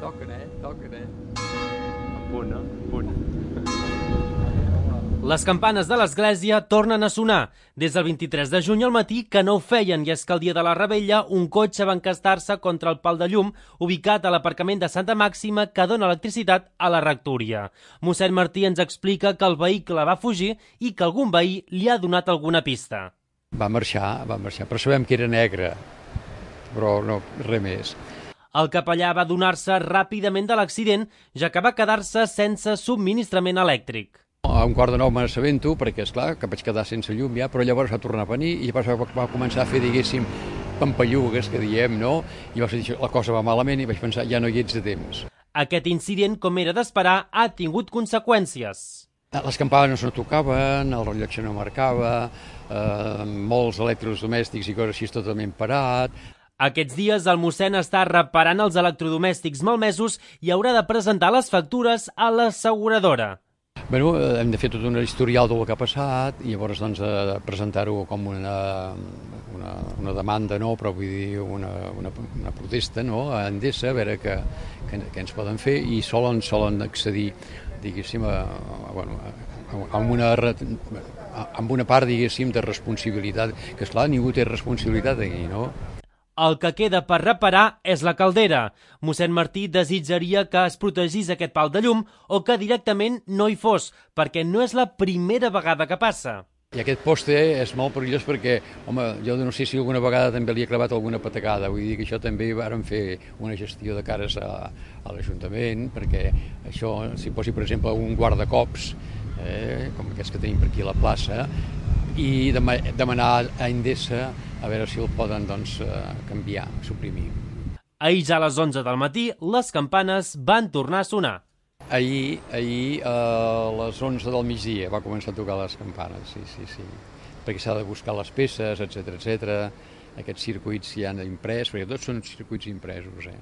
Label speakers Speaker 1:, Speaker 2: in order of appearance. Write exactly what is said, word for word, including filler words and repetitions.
Speaker 1: Toquen, eh? Toquen, eh?
Speaker 2: A punt, no? A punt.
Speaker 3: Les campanes de l'església tornen a sonar. Des del vint-i-tres de juny al matí que no ho feien, i és que el dia de la Revetlla un cotxe va encastar-se contra el pal de llum ubicat a l'aparcament de Santa Màxima que dona electricitat a la rectoria. Mossèn Martí ens explica que el vehicle va fugir i que algun veí li ha donat alguna pista.
Speaker 4: Va marxar, va marxar, però sabem que era negre, però no, res més.
Speaker 3: El capellà va adonar-se ràpidament de l'accident, ja que va quedar-se sense subministrament elèctric.
Speaker 4: A un quart de nou me n'assabento, perquè, esclar, que vaig quedar sense llum ja, però llavors va tornar a venir i llavors va, va començar a fer, diguéssim, pampallugues, que diem, no? I va dir, la cosa va malament i vaig pensar, ja no hi ets de temps.
Speaker 3: Aquest incident, com era d'esperar, ha tingut conseqüències.
Speaker 4: Les campanes no tocaven, el rellotge no marcava, eh, molts electrodomèstics i coses així totalment parat.
Speaker 3: Aquests dies el mossèn està reparant els electrodomèstics malmesos i haurà de presentar les factures a l'asseguradora.
Speaker 4: Bueno, hem de fer tot un historial del que ha passat i llavors doncs, eh, presentar-ho com una, una, una demanda, no? Però vull dir una, una, una protesta, no? A Endesa, a veure què, què, què ens poden fer, i solen, solen accedir, diguéssim, a, a, bueno, a, a, una, amb una part, diguéssim, de responsabilitat, que esclar, ningú té responsabilitat aquí, no?
Speaker 3: El que queda per reparar és la caldera. Mossèn Martí desitjaria que es protegís aquest pal de llum o que directament no hi fos, perquè no és la primera vegada que passa.
Speaker 4: I aquest poste és molt perillós perquè, home, jo no sé si alguna vegada també li ha clavat alguna patacada, vull dir que això també vàrem fer una gestió de cares a, a l'Ajuntament, perquè això, si posi, per exemple, un guardacops, eh, com aquests que tenim per aquí a la plaça, i demanar a Endesa a veure si el poden doncs, canviar, suprimir.
Speaker 3: Ahir ja a les onze del matí, les campanes van tornar a sonar.
Speaker 4: Ahir, ahir a les onze del migdia va començar a tocar les campanes, sí, sí, sí. Perquè s'ha de buscar les peces, etcètera, etcètera. Aquests circuits ja han imprès, perquè tots són circuits impresos, eh?